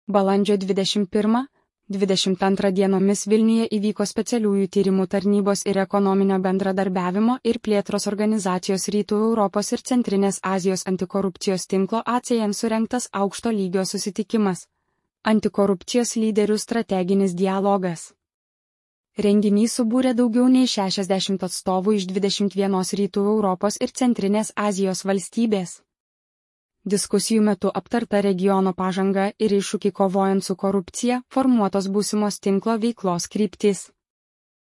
Balandžio 21–22 dienomis Vilniuje įvyko specialiųjų tyrimų tarnybos ir ekonominio bendradarbiavimo ir plėtros organizacijos Rytų Europos ir Centrinės Azijos antikorupcijos tinklo ACN surengtas aukšto lygio susitikimas. Antikorupcijos lyderių strateginis dialogas. Renginys subūrė daugiau nei 60 atstovų iš 21 Rytų Europos ir Centrinės Azijos valstybės. Diskusijų metu aptarta regiono pažanga ir iššūkiai kovojant su korupcija, formuotos būsimos tinklo veiklos kryptys.